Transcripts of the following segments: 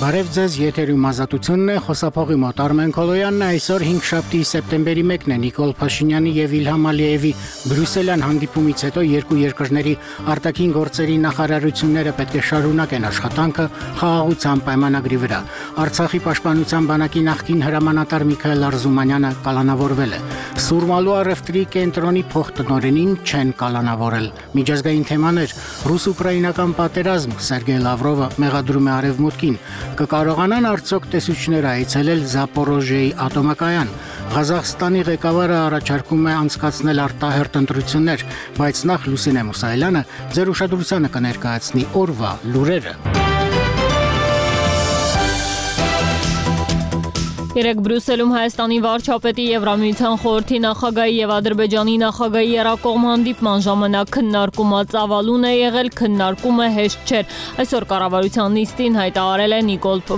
Բարև ձեզ, եթերում ազատությունն է, խոսափողի մոտ Արմեն Քոլոյանն է, այսօր 5 սեպտեմբերի 1-ն է Նիկոլ Փաշինյանի եւ Իլհամ Ալիևի Բրյուսելյան հանդիպումից հետո երկու երկրների արտաքին գործերի նախարարությունները պետք է շարունակեն աշխատանքը խաղաղության պայմանագրի վրա։ Արցախի պաշտպանության բանակի նախկին հրամանատար Միքայել Արզումանյանը կալանավորվել է։ Սուրմալու առևտրի կենտրոնի փոխտնօրենին չեն կալանավորել։ Միջազգային թեմաներ՝ ռուս-ուկրաինական պատերազմ, Սերգեյ Լավրովը մեղադրում է Արևմուտքին, կկարողանան արդյոք տեսուչները այցելել Զապորոժիեի ատոմակայան։ Ղազախստանի ղեկավարը առաջարկում է անցկացնել արտահերթ ընտրություններ, բայց նախ Լուսինե Մուսայելյանը ձեր ուշադրությանը կներկայացնի օրվա լուրերը։ Երեկ Բրյուսելում Հայաստանի վարչապետի, Եվրամիության խորհրդի նախագահի եւ Ադրբեջանի նախագահի երակողմ հանդիպման ժամանակ քննարկումը ծավալուն է եղել, քննարկումը հեշտ չէր։ Այսօր կառավարության նիստին հայտարարել է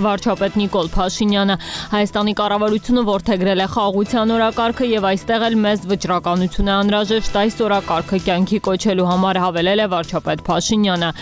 վարչապետ Նիկոլ Փաշինյանը։ Հայաստանի կառավարությունը որդեգրել է խաղաղության օրակարգը եւ այստեղ էլ մեծ վճռականություն է անհրաժեշտ այս օրակարգը կյանքի կոչելու համար, հավելել է վարչապետ Փաշինյանը։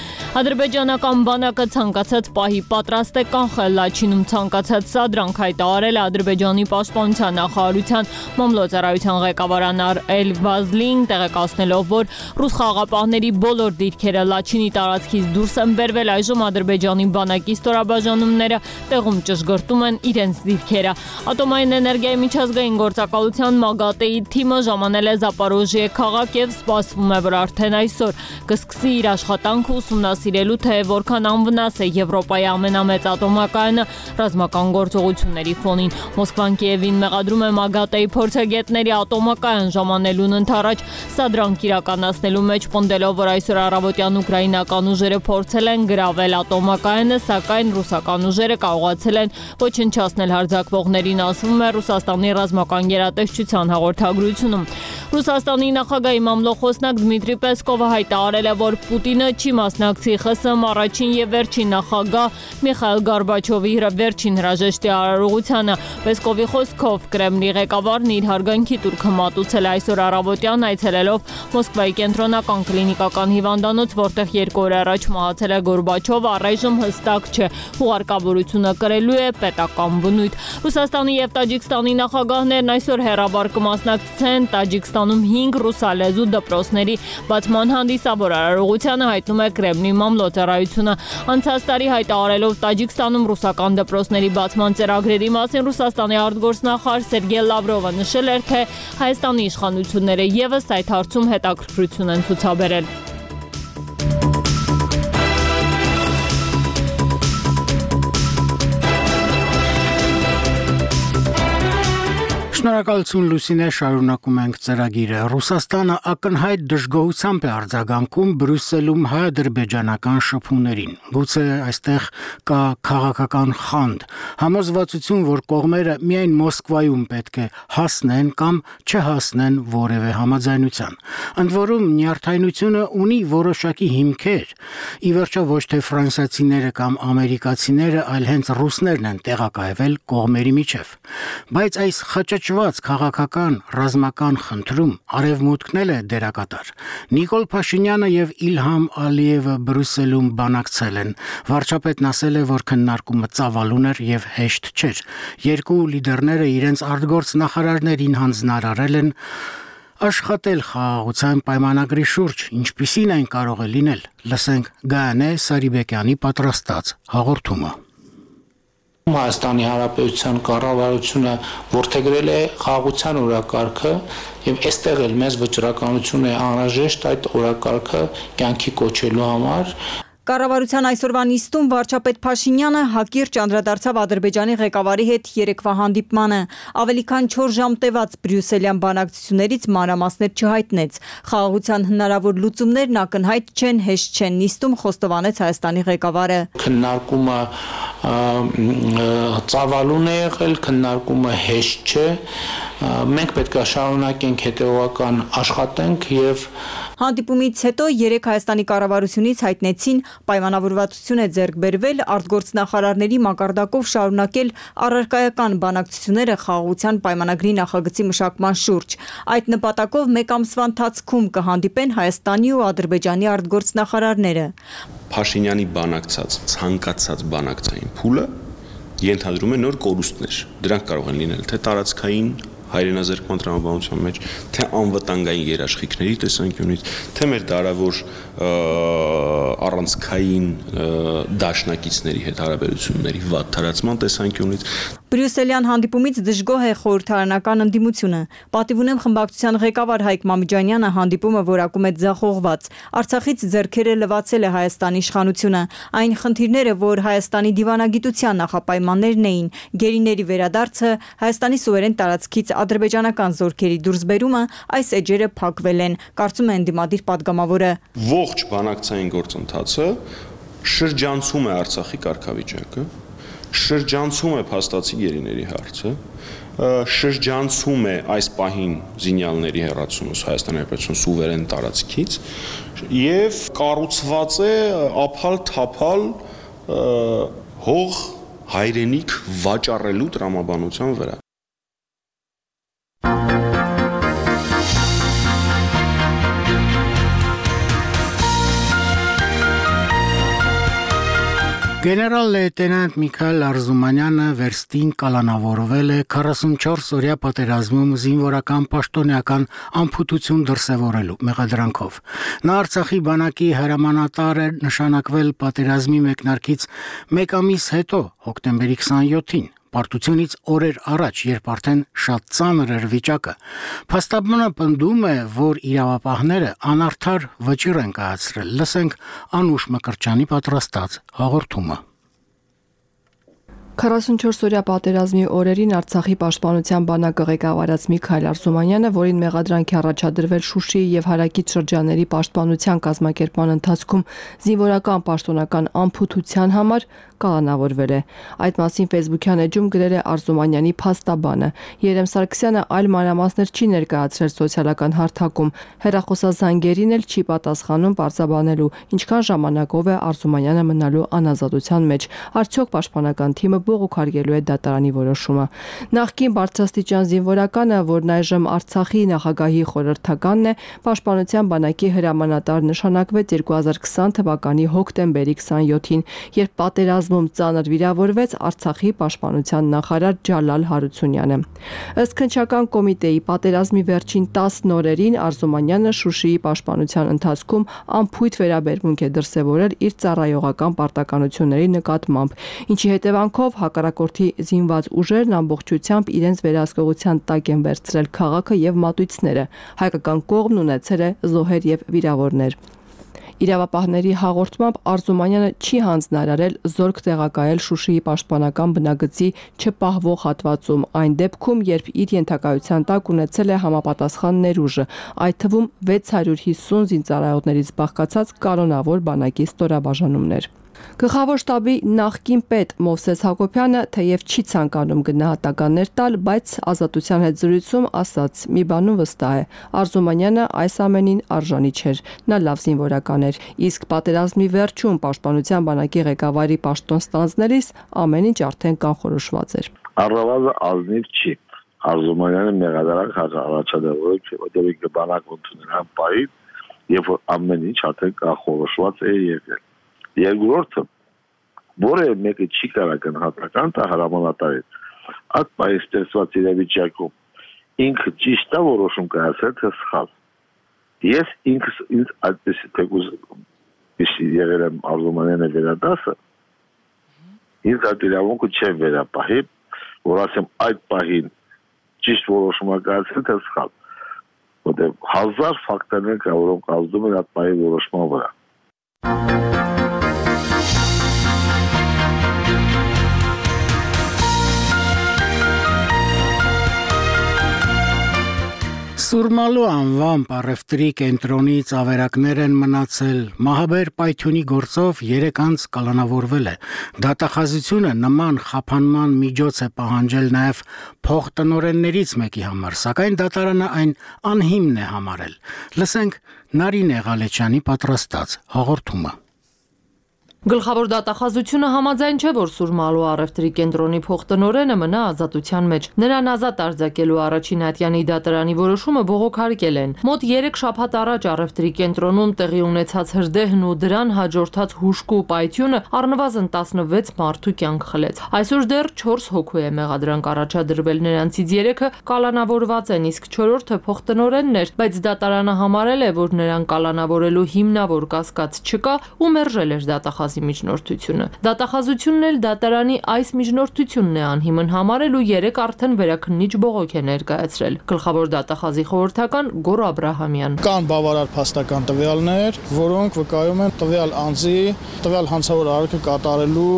Ադրբեջանական բանակը ցանկացած պահի պատրաստ է կանխել Լաչինում ցանկացած սադրանք, հայտարարել Ադրբեջանի պաշտպանության նախարարության մամլոյցարայության ղեկավար Անար Էլ-Վազլին, տեղեկացնելով, որ ռուս խաղաղապահների բոլոր դիրքերը Լաչինի տարածքից դուրս են բերվել, այժմ Ադրբեջանի բանակի ստորաբաժանումները տեղում ճշգրտում են իրենց դիրքերը։ Ատոմային էներգիայի միջազգային գործակալության ՄԱԳԱՏԵ-ի թիմը ժամանել է Զապորոժիե քաղաք եւ սպասվում է, որ արդեն այսօր կսկսի իր աշխատանքը ուսումնասիրելու, թե որքան անվնաս է Եվրոպայի ամենամեծ ատոմակայանը ռազմական գործողությունների ֆոնին։ Մոսկվան Կիևին մեղադրում է ՄԱԳԱՏԵ-ի փորձագետների ատոմակայան ժամանելուն ընդառաջ սադրանք իրականացնելու մեջ, պնդելով, որ այսօր առավոտյան ուկրաինական ուժերը փորձել են գրավել ատոմակայանը, սակայն ռուսական ուժերը կարողացել են ոչնչացնել հարձակվողներին, ասվում է Ռուսաստանի ռազմական գերատեսչության հաղորդագրությունում։ Ռուսաստանի նախագահի մամլոխոսնակ Դմիտրի Պեսկովը հայտարարել է, որ Պուտինը չի մասնակցի ԽՍՀՄ առաջին եւ վերջին նախագահ Միխայիլ Գորբաչովի վերջին հրաժեշտի արարողությանը։ Պեսկովի խոսքով Կրեմլի ղեկավարն իր հարգանքի տուրքը մատուցել է այսօր առավոտյան, այցելելով Մոսկվայի կենտրոնական կլինիկական հիվանդանոց, որտեղ 2 օր առաջ մահացել է Գորբաչովը, առայժմ հստակ չէ հուղարկավորությունը կրելու է պետական բնույթ։ Ռուսաստանի եւ Տաջիկստանի նախագահներն այսօր հերաբար կմասնակցեն Տաջիկստանում 5 ռուսալեզու դպրոցների բացման հանդիսավոր արարողությանը, հայտնում է Կրեմլի մամլոյցարայությունը։ Անցած տարի հայտարարելով Տաջիկստանում ռուսական դպրոցների բացման ծրագրերի մասին Ռուսաստանի արտգործնախարար Սերգեյ Լավրովը նշել էր, թե Հայաստանի իշխանությունները եւս այդ հարցում հետաքրքրություն են ցուցաբերել։ Շնորհակալություն Լուսինե, շարունակում ենք ծրագիրը։ Ռուսաստանը ակնհայտ դժգոհությամբ է արձագանքում Բրյուսելում հայ-ադրբեջանական շփումներին։ Գուցե այստեղ կա քաղաքական խանդ, համոզվածություն, որ կողմերը միայն Մոսկվայում պետք է հասնեն կամ չհասնեն որևէ համաձայնության։ Ընդ որում նյարդայնությունը ունի որոշակի հիմքեր։ Ի վերջո ոչ թե ֆրանսիացիները կամ ամերիկացիները, այլ հենց ռուսներն են տեղակայվել կողմերի միջև։ Բայց այս խճճված քաղաքական ռազմական խնդրում Արևմուտքն էլ է դերակատար։ Նիկոլ Փաշինյանը եւ Իլհամ Ալիևը Բրյուսելում բանակցել են։ Վարչապետն ասել է, որ քննարկումը ծավալուն էր եւ հեշտ չէր։ Երկու լիդերները իրենց արտգործ նախարարներին հանձնարարել են աշխատել խաղաղության պայմանագրի շուրջ, ինչպիսին այն կարող է լինել։ Լսենք Գայանե Սարիբեկյանի պատրաստած հաղորդումը։ Հայաստանի Հանրապետության կառավարությունը որդեգրել է խաղաղության օրակարգը եւ այստեղ էլ մեծ վճռականություն է անհրաժեշտ այդ օրակարգը կյանքի կոչելու համար։ Կառավարության այսօրվա նիստում վարչապետ Փաշինյանը հակիրճ անդրադարձավ Ադրբեջանի ղեկավարի հետ երեկվա հանդիպմանը։ Ավելի քան 4 ժամ տևած բրյուսելյան բանակցություններից մանրամասներ չհայտնեց։ Խաղաղության հնարավոր լուծումներն ակնհայտ չեն, հեշտ չեն, նիստում խոստովանեց Հայաստանի ղեկավարը։ Քննարկումը ծավալուն է եղել, քննարկումը հեշտ չէ։ Մենք պետք է շարունակենք հետևողական աշխատենք եւ Հանդիպումից հետո 3 Հայաստանի կառավարությունից հայտնեցին պայմանավորվածություն է ձեռք բերվել արտգործնախարարների մակարդակով շարունակել առարկայական բանակցությունները խաղաղության պայմանագրի նախագծի մշակման շուրջ։ Այդ նպատակով մեկ ամսվա ընթացքում կհանդիպեն Հայաստանի ու Ադրբեջանի արտգործնախարարները։ Փաշինյանի բանակցած ցանկացած բանակցային փուլը ենթադրում է նոր կորուստներ։ Դրանք կարող են լինել թե տարածքային հայրենազերկման տրամաբանության մեջ, թե անվտանգային երաշխիքների տեսանկյունից, թե մեր դարավոր առանցքային դաշնակիցների հետ հարաբերությունների վատ թարացման տեսանկյունից։ Բրյուսելյան հանդիպումից դժգոհ է խորհրդարանական ընդդիմությունը։ Պատիվ ունեմ խմբակցության ղեկավար Հայկ Մամիջանյանը հանդիպումը որակում է ձախողված։ Արցախից ձեռքերը լվացել է Հայաստանի իշխանությունը։ Այն խնդիրները, որ Հայաստանի դիվանագիտության նախապայմաններն էին, գերիների վերադարձը, Հայաստանի սուվերեն տարածքից ադրբեջանական զորքերի դուրսբերումը, այս էջերը փակվել են, կարծում է ընդդիմադիր падգամավորը։ Ողջ բանակցային գործընթացը շրջանցում է Արցախի կարգավիճակը, շրջանցում է փաստացի գերիների հարցը, շրջանցում է այս պահին զինյալների հեռացումը Հայաստանի Հանրապետության սուվերեն տարածքից եւ կառուցված է ափալ-թափալ հող հայրենիք վաճառելու տրամաբանության վրա։ Գեներալ լեյտենանտ Միքայել Արզումանյանը վերստին կալանավորվել է 44-օրյա պատերազմում զինվորական պաշտոնյական անփութություն դրսևորելու մեղադրանքով։ Նա Արցախի բանակի հրամանատար է նշանակվել պատերազմի մեկնարկից մեկ ամիս հետո, հոկտեմբերի 27-ին։ Պարտությունից օրեր առաջ, երբ արդեն շատ ծանր էր վիճակը, փաստաբանը պնդում է, որ իրավապահները անարդար վճիռ են կայացրել։ Լսենք Անուշ Մկրտչյանի պատրաստած հաղորդումը։ 44-օրյա պատերազմի օրերին Արցախի պաշտպանության բանակը ղեկավարած Միքայել Արզումանյանը, որին մեղադրանք է առաջադրվել Շուշիի եւ հարակից շրջանների պաշտպանության կազմակերպման ընթացքում զինվորական պաշտոնական անփութության համար կալանավորվել է։ Այդ մասին Facebook-յան էջում գրել է Արզումանյանի փաստաբանը։ Երեմ Սարգսյանը այլ մանրամասներ չի ներկայացրել սոցիալական հարթակում։ Հեռախոսազանգերին էլ չի պատասխանում պարզաբանելու, ինչքան ժամանակով է Արզումանյանը մնալու անազատության մեջ։ Արդյոք պաշտպանական թիմը բողոքարկելու է դատարանի որոշումը։ Նախկին բարձրաստիճան զինվորականը, որն այժմ Արցախի նախագահի խորհրդականն է, պաշտպանության բանակի հրամանատար նշանակվեց 2020 թվականի հոկտեմբերի 27-ին, երբ պատերազմում ծանր վիրավորվեց Արցախի պաշտպանության նախարար Ջալալ Հարությունյանը։ Ըստ քննչական կոմիտեի պատերազմի վերջին 10 օրերին Արզումանյանը Շուշիի պաշտպանության ընթացքում անփույթ վերաբերմունք է դրսևորել իր ծառայողական պարտականությունների նկատմամբ, ինչի հետևանքով հակառակորդի զինված ուժերն ամբողջությամբ իրենց վերահսկողության տակ են վերցրել քաղաքը եւ մատույցները։ Հայկական կողմն ունեցել է զոհեր եւ վիրավորներ։ Իրավապահների հաղորդմամբ Արզումանյանը չի հանձնարարել զորք տեղակայել Շուշիի պաշտպանական բնագծի չպահվող հատվածում, այն դեպքում, երբ իր ենթակայության տակ ունեցել է համապատասխան ներուժը, այդ թվում 650 զինծառայողներից բաղկացած կանոնավոր բանակի ստորաբաժանումներ։ Գլխավոր շտաբի նախկին պետ Մովսես Հակոբյանը թեև չի ցանկանում գնահատականներ տալ, բայց Ազատության հետ զրույցում ասաց՝ մի բանում վստահ է, Արզումանյանը այս ամենին արժանի չէր, նա լավ զինվորական էր, իսկ պատերազմի վերջում պաշտպանության բանակի ղեկավարի պաշտոն ստանձնելիս ամեն ինչ արդեն կանխորոշված էր։ Առավելը ազնիվ չի։ Արզումանյանը մեղադրանք առաջադրել չէ, որտեղ բանակ ընդունել պահի, եւ ամեն ինչ արդեն կանխորոշված է եղել։ Երկրորդը, որը մեկը չի կարող գնահատական տա հրամանատարին, այդ պահի ստեղծված իրավիճակում ինքը ճիշտ է որոշում կայացրել, թե սխալ։ Ես ինքս ինձ այդպես թեկուզ եղել եմ Արզումանյանի վերադասը, ինձ այդ իրավունքը չեմ վերապահի, որ ասեմ այդ պահին ճիշտ որոշում է կայացրել, թե սխալ։ Որտեղ 1000 ֆակտորներ կա, որոնք ազդում են այդ պահի որոշման վրա։ Սուրմալու անվան առևտրի կենտրոնից ավերակներ են մնացել, մահաբեր պայթյունի գործով 3 անձ կալանավորվել է։ Դատախազությունը նման խափանման միջոց է պահանջել նաև փոխտնօրեններից մեկի համար, սակայն դատարանը այն անհիմն է համարել։ Լսենք Նարինե Ղալեչյանի պատրաստած հաղորդումը։ Գլխավոր դատախազությունը համաձայն չէ, որ Սուրմալու առևտրի կենտրոնի փոխտնօրենը մնա ազատության մեջ։ Նրան ազատ արձակելու առաջին ատյանի դատարանի որոշումը բողոքարկել են։ Մոտ 3 շաբաթ առաջ առևտրի կենտրոնում տեղի ունեցած հրդեհն ու դրան հաջորդած հուժկու պայթյունը առնվազն 16 մարդու կյանք խլեց։ Այսօր դեռ 4 հոգու է մեղադրանք առաջադրվել, նրանցից 3-ը կալանավորված են, իսկ 4-ը փոխտնօրենն էր, բայց դատարանը համարել է, որ նրան կալանավորելու հիմնավոր կասկած չկա ու մերժել էր դատախազի միջնորդությունը։ Դատախազությունն էլ դատարանի այս միջնորդությունն է անհիմն համարել ու 3 արդեն վերաքննիչ բողոք է ներկայացրել։ Գլխավոր դատախազի խորհրդական Գոռ Աբրահամյան։ Կան բավարար փաստական տվյալներ, որոնք վկայում են տվյալ անձի, տվյալ հանցավոր արարքը կատարելու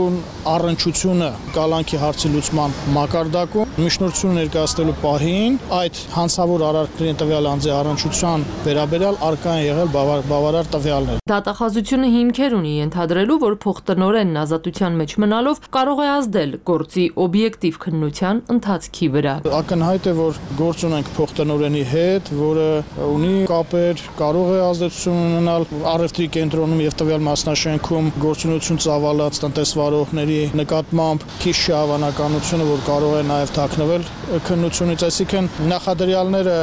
առնչությունը կալանքի հարցի լուծման մակարդակում, միջնորդություն ներկայացնելու պահին այդ հանցավոր արարքների տվյալ անձի առնչության վերաբերյալ առկա են եղել բավարար տվյալներ։ Դատախազությունը հիմքեր ունի ենթադրելու, որ փոխտնօրենն ազատության մեջ մնալով կարող է ազդել գործի օբյեկտիվ քննության ընթացքի վրա։ Ակնհայտ է, որ գործ ունենք փոխտնօրենի հետ, որը ունի կապեր, կարող է ազդեցություն ունենալ առևտրի կենտրոնում եւ տվյալ մասնաշենքում գործունեություն ծավալած տնտեսվարողների նկատմամբ քիչ չի հավանականությունը, որ կարող է նաեւ թաքնվել քննությունից, այսինքն նախադրյալները,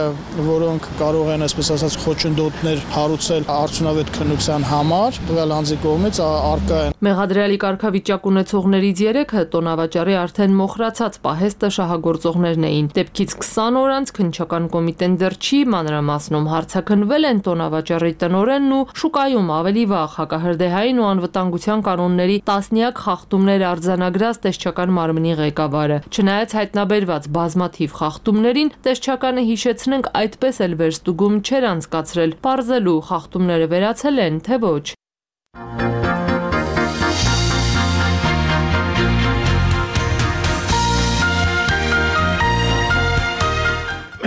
որոնք կարող են, այսպես ասած, խոչընդոտներ հարուցել արդյունավետ քննության համար, տվյալ անձի կողմից առկա են։ Մեղադրյալի կարգավիճակ ունեցողներից 3-ը տոնավաճառի արդեն մոխրացած պահեստը շահագործողներն էին։ Դեպքից 20 օր անց քննչական կոմիտեն դեռ չի մանրամասնում, հարցաքննվել են տոնավաճառի տնօրենն ու շուկայում ավելի վաղ հակահրդեհային ու անվտանգության կանոնների տասնյակ խախտումներ արձանագրած տեսչական մարմնի ղեկավարը։ Չնայած հայտնաբերված բազմաթիվ խախտումներին, տեսչականը հիշեցնենք այդպես էլ վերստուգում չէր անցկացրել, պարզելու խախտումները վերացել են, թե ոչ։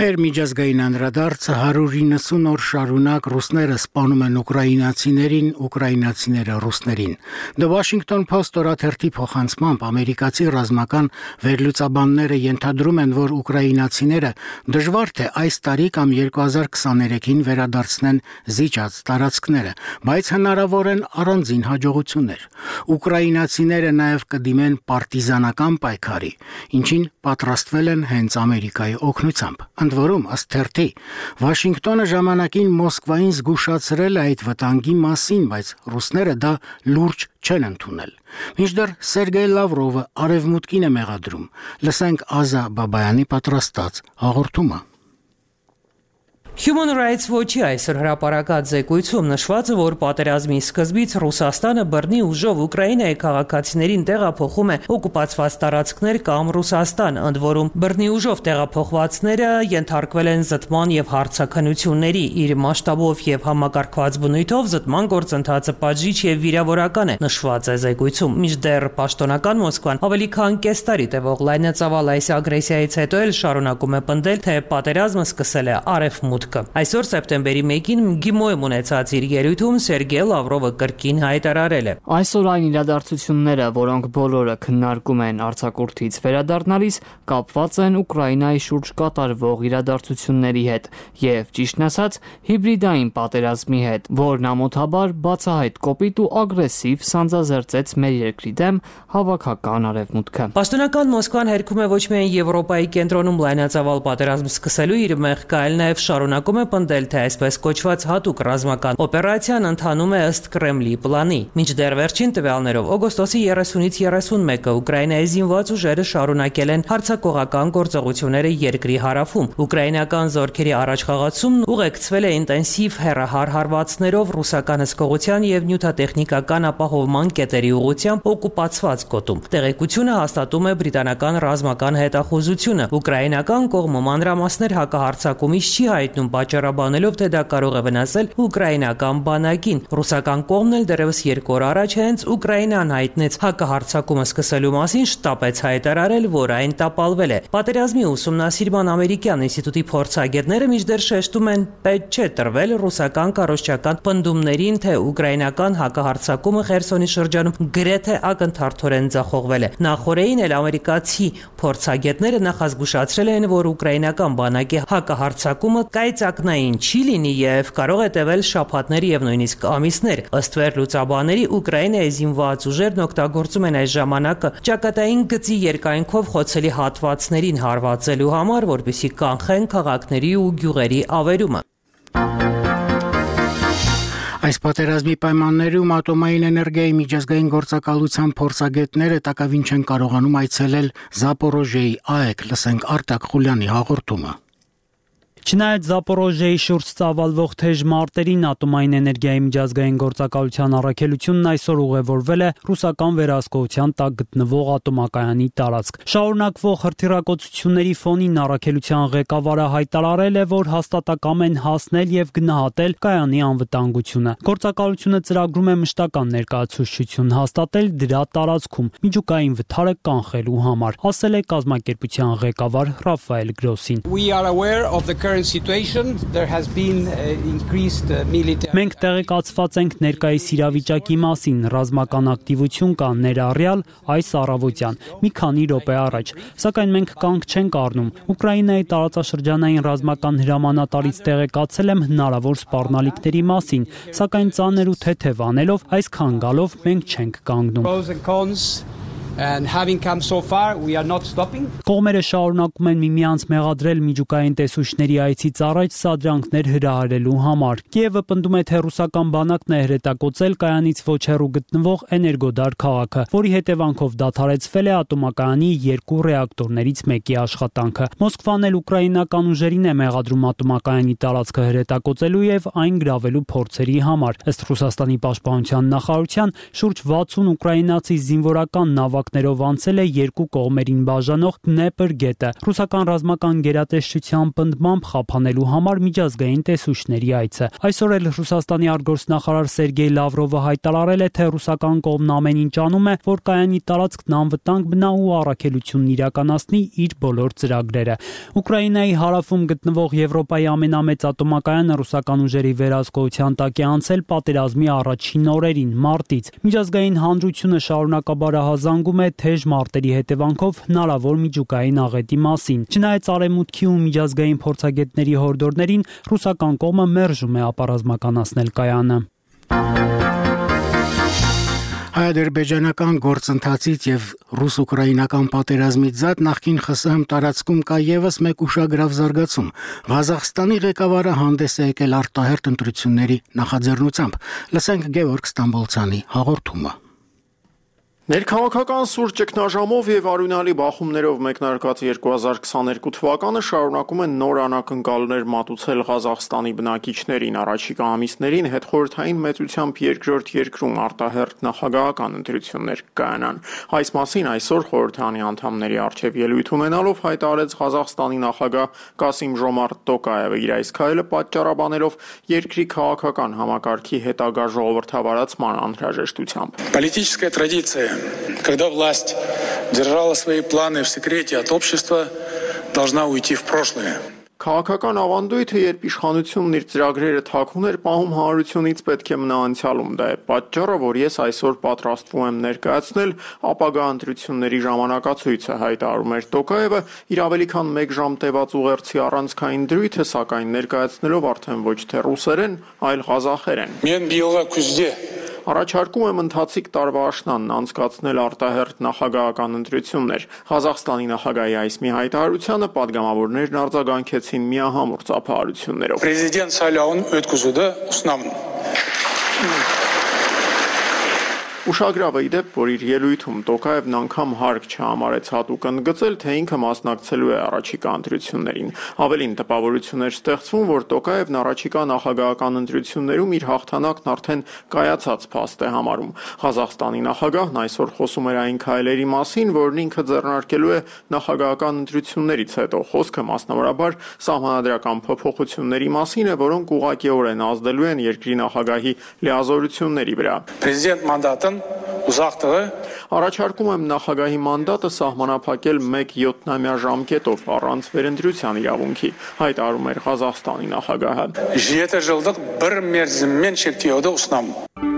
Մեր միջազգային անդրադարձը 190 օր շարունակ ռուսները սպանում են ուկրաինացիներին, ուկրաինացիները ռուսներին։ The Washington Post օրաթերթի փոխանցմամբ ամերիկացի ռազմական վերլուծաբանները ենթադրում են, որ ուկրաինացիները դժվար թե այս տարի կամ 2023-ին վերադարձնեն զիջած տարածքները, բայց հնարավոր են առանձին հաջողություններ։ Ուկրաինացիները նաև կդիմեն պարտիզանական պայքարի, ինչին պատրաստվել են հենց Ամերիկայի օգնությամբ։ Ընդ որում, ըստ թերթի, Վաշինգտոնը ժամանակին Մոսկվային զգուշացրել է այդ վտանգի մասին, բայց ռուսները դա լուրջ չեն ընդունել։ Մինչդեռ Սերգեյ Լավրովը արևմուտքին է մեղադրում։ Լսենք Ազա Բաբայանի պատրաստած հաղորդումը։ Human Rights Watch-ի այսօր հրապարակած զեկույցում նշված է, որ պատերազմի սկզբից Ռուսաստանը բռնի ուժով Ուկրաինայի քաղաքացիներին տեղափոխում է օկուպացված տարածքներ կամ Ռուսաստան, ընդ որում բռնի ուժով տեղափոխվածները ենթարկվել են զտման եւ հարցաքննությունների, իր մասշտաբով եւ համակարգված բնույթով զտման գործընթացը պատժիչ եւ վիրավորական է, նշված է զեկույցում։ Մինչդեռ պաշտոնական Մոսկվան ավելի քան կես տարի տևող լայնածավալ այս ագրեսիայից հետո էլ շարունակում է պնդել, թե պատերազմը սկսել է արևմուտք։ Այսօր սեպտեմբերի 1-ին ԳԻՄՕ-ում ունեցած իր ելույթում Սերգեյ Լավրովը կրկին հայտարարել է. Այսօր այն իրադարձությունները, որոնք բոլորը քննարկում են արձակուրդից վերադառնալիս, կապված են Ուկրաինայի շուրջ կատարվող իրադարձությունների հետ եւ, ճիշտն ասած, հիբրիդային պատերազմի հետ, որն ամոթաբար բացահայտ կոպիտ ու ագրեսիվ սանձազերծեց մեր երկրի դեմ հավաքական արևմուտքը։ Պաշտոնական Մոսկվան հերքում է ոչ միայն Եվրոպայի կենտրոնում լայնածավալ պատերազմ սկսելու իր մեղքը, այլ նաեւ շարունակում է պնդել, թե այսպես կոչված հատուկ ռազմական օպերացիան ընթանում է ըստ Կրեմլի պլանի։ Մինչդեռ վերջին տվյալներով օգոստոսի 30-ից 31-ը Ուկրաինայի զինված ուժերը շարունակել են հարձակողական գործողությունները երկրի հարավում։ Ուկրաինական զորքերի առաջխաղացումն ուղեկցվել է ինտենսիվ հեռահար հարվածներով ռուսական հսկողության եւ նյութատեխնիկական ապահովման կետերի ուղղությամբ օկուպացված գոտում։ Տեղեկությունը հաստատում է բրիտանական ռազմական հետախուզությունը։ Ուկրաինական կողմը մանրամասներ հակահարձակումից չի հայտնում, պատճառաբանելով, թե դա կարող է վնասել ուկրաինական բանակին։ Ռուսական կողմն էլ դեռևս 2 օր առաջ հենց Ուկրաինան հայտնեց հակահարձակումը սկսելու մասին, շտապեց հայտարարել, որ այն տապալվել է։ Պատերազմի ուսումնասիրման ամերիկյան ինստիտուտի փորձագետները մինչդեռ շեշտում են, պետք չէ տրվել ռուսական կառույցական պնդումներին, թե ուկրաինական հակահարձակումը Խերսոնի շրջանում գրեթե ակնթարթորեն ձախողվել է։ Նախորդին էլ ամերիկացի փորձագետները նախազգուշացրել են, որ ուկրաինական բանակի հակահարձակումը ծայրածակնային չի լինի եւ կարող է տևել շաբաթներ եւ նույնիսկ ամիսներ։ Ըստ վերլուծաբանների Ուկրաինայի զինված ուժերն օգտագործում են այս ժամանակը ճակատային գծի երկայնքով խոցելի հատվածներին հարվածելու համար, որպեսզի կանխեն քաղաքների ու գյուղերի ավերումը։ Այս պատերազմի պայմաններում ատոմային էներգիայի միջազգային գործակալության փորձագետները տակավին չեն կարողանում այցելել Զապորոժիեի ԱԵԿ, լսենք Արտակ Խուլյանի հաղորդումը։ Չնայած Զապորոժիեի շուրջ ծավալվող թեժ մարտերին ատոմային էներգիայի միջազգային գործակալության առաքելությունն այսօր ուղևորվել է ռուսական վերահսկողության տակ գտնվող ատոմակայանի տարածք։ Շարունակվող հրթիռակոծությունների ֆոնին առաքելության ղեկավարը հայտարարել է, որ հաստատակամ են հասնել եւ գնահատել կայանի անվտանգությունը։ Գործակալությունը ծրագրում է մշտական ներկայացուցչություն հաստատել դրա տարածքում միջուկային վթարը կանխելու համար, ասել է կազմակերպության ղեկավար Ռաֆայել Գրոսին։ Մենք տեղեկացված ենք ներկայիս իրավիճակի մասին, ռազմական ակտիվություն կա ներառյալ այս առավոտյան, մի քանի րոպե առաջ, սակայն մենք կանգ չենք առնում։ Ուկրաինայի տարածաշրջանային ռազմական հրամանատարից տեղեկացել եմ հնարավոր սպառնալիքների մասին, սակայն ծանր ու թեթև անելով, այսքան գալով մենք չենք կանգնում։ Կողմերը շարունակում են միմյանց մեղադրել միջուկային տեսուչների այցից առաջ սադրանքներ հրահարելու համար։ Կիևը պնդում է, թե ռուսական բանակն է հրետակոծել կայանից ոչ հեռու գտնվող Էներգոդար քաղաքը, որի հետևանքով դադարեցվել է ատոմակայանի 2 ռեակտորներից մեկի աշխատանքը։ Մոսկվան էլ ուկրաինական ուժերին է մեղադրում ատոմակայանի տարածքը հրետակոծելու եւ այն գրավելու փորձերի համար։ Ըստ Ռուսաստանի պաշտպանության նախարարության, շուրջ 60 ուկրաինացի զինվորական նավակներով անցել է 2 կողմերին բաժանող Դնեպր գետը։ Ռուսական ռազմական գերատեսչության պնդմամբ խափանելու համար միջազգային տեսուչների այցը։ Այսօր էլ Ռուսաստանի արտգործնախարար Սերգեյ Լավրովը հայտարարել է, թե ռուսական կողմն ամեն ինչ անում է, որ կայանի տարածքն անվտանգ մնա ու առաքելությունն իրականացնի իր բոլոր ծրագրերը։ Ուկրաինայի հարավում գտնվող Եվրոպայի ամենամեծ ատոմակայանը ռուսական ուժերի վերահսկողության տակ է անցել պատերազմի առաջին օրերին, մարտից։ Միջազգային հանրությունը շարունակաբար ահազանգում է թեժ մարտերի հետևանքով հնարավոր միջուկային աղետի մասին։ Չնայած արևմուտքի ու միջազգային փորձագետների հորդորներին, ռուսական կողմը մերժում է ապառազմականացնել կայանը։ Հայ-ադրբեջանական գործընթացից եւ ռուս-ուկրաինական պատերազմից զատ նախկին ԽՍՀՄ տարածքում կա եւս մեկ ուշագրավ զարգացում։ Ղազախստանի ղեկավարը հանդես է եկել արտահերթ ընտրությունների նախաձեռնությամբ։ Լսենք Գևորգ Ստամբոլցյանի հաղորդումը։ Ներքաղաքական սուր ճգնաժամով եւ արյունալի բախումներով մեկնարկած 2022 թվականը շարունակում են նոր անակնկալներ մատուցել Ղազախստանի բնակիչներին առաջիկա ամիսներին հետխորհրդային մեծությամբ երկրորդ երկրում արտահերթ նախագահական ընտրություններ կայանան։ Այս մասին այսօր խորհրդանի անդամների արչեւ ելույթ ունենալով հայտարարեց Ղազախստանի նախագահ Կասիմ-Ժոմարտ Տոկաևը իր այս քայլը պատճառաբանելով երկրի քաղաքական համակարգի հետագա ժողովրդավարացման անհրաժեշտությամբ։ Политическая традиция, когда власть держала свои планы в секрете от общества, должна уйти в прошлое. Քաղաքական ավանդույթը, երբ իշխանությունն իր ծրագրերը թաքուն էր պահում հանրությունից, պետք է մնա անցյալում։ Դա է պատճառը, որ ես այսօր պատրաստվում եմ ներկայացնել ապագա ընտրությունների ժամանակացույցը, հայտարարում էր Տոկաևը, իր ավելի քան 1 ժամ տևած ուղերձի առանցքային դրույթը, սակայն ներկայացնելով արդեն ոչ թե ռուսերեն, այլ ղազախերեն։ Առաջարկում եմ ընթացիկ տարվա աշնանն անցկացնել արտահերթ նախագահական ընտրություններ։ Ղազախստանի նախագահի այս մի հայտարարությանը պատգամավորներն արձագանքեցին միահամուռ ծափահարություններով։ Президент Սալյաուն өткізуді ұсынамын։ Ուշագրավը իդեպ, որ իր ելույթում Տոկաևն անգամ հարկ չհամարեց հատուկ ընդգծել, թե ինքը մասնակցելու է առաջիկա ընտրություններին։ Ավելին տպավորություն էր ստեղծվում, որ Տոկաևն առաջիկա նախագահական ընտրություններում իր հաղթանակն արդեն կայացած փաստ է համարում։ Ղազախստանի նախագահն այսօր խոսում էր այն քայլերի մասին, որն ինքը ձեռնարկելու է նախագահական ընտրություններից հետո։ Խոսքը մասնավորաբար սահմանադրական փոփոխությունների մասին է, որոնք ուղղակիորեն ազդելու են երկրի նախագահի լիազորությունների վրա։ Президент մանդատն ուզախտығы Առաջարկում եմ նախագահի մանդատը սահմանափակել 1 ժամկետով առանց վերընտրության իրավունքի, հայտարարում էր Ղազախստանի նախագահը։ 7 жылдық бір мерзіммен шектеуді ұсынамын։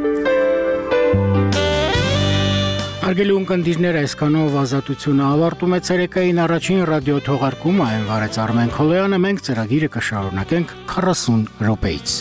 Արգելի ունկնդիրներ, այսքանով ազատությունը ավարտում է ցերեկային առաջին ռադիո թողարկումը, այն վարեց Արմեն Քոլոյանը, մենք ծրագիրը կշարունակենք 40 րոպեից։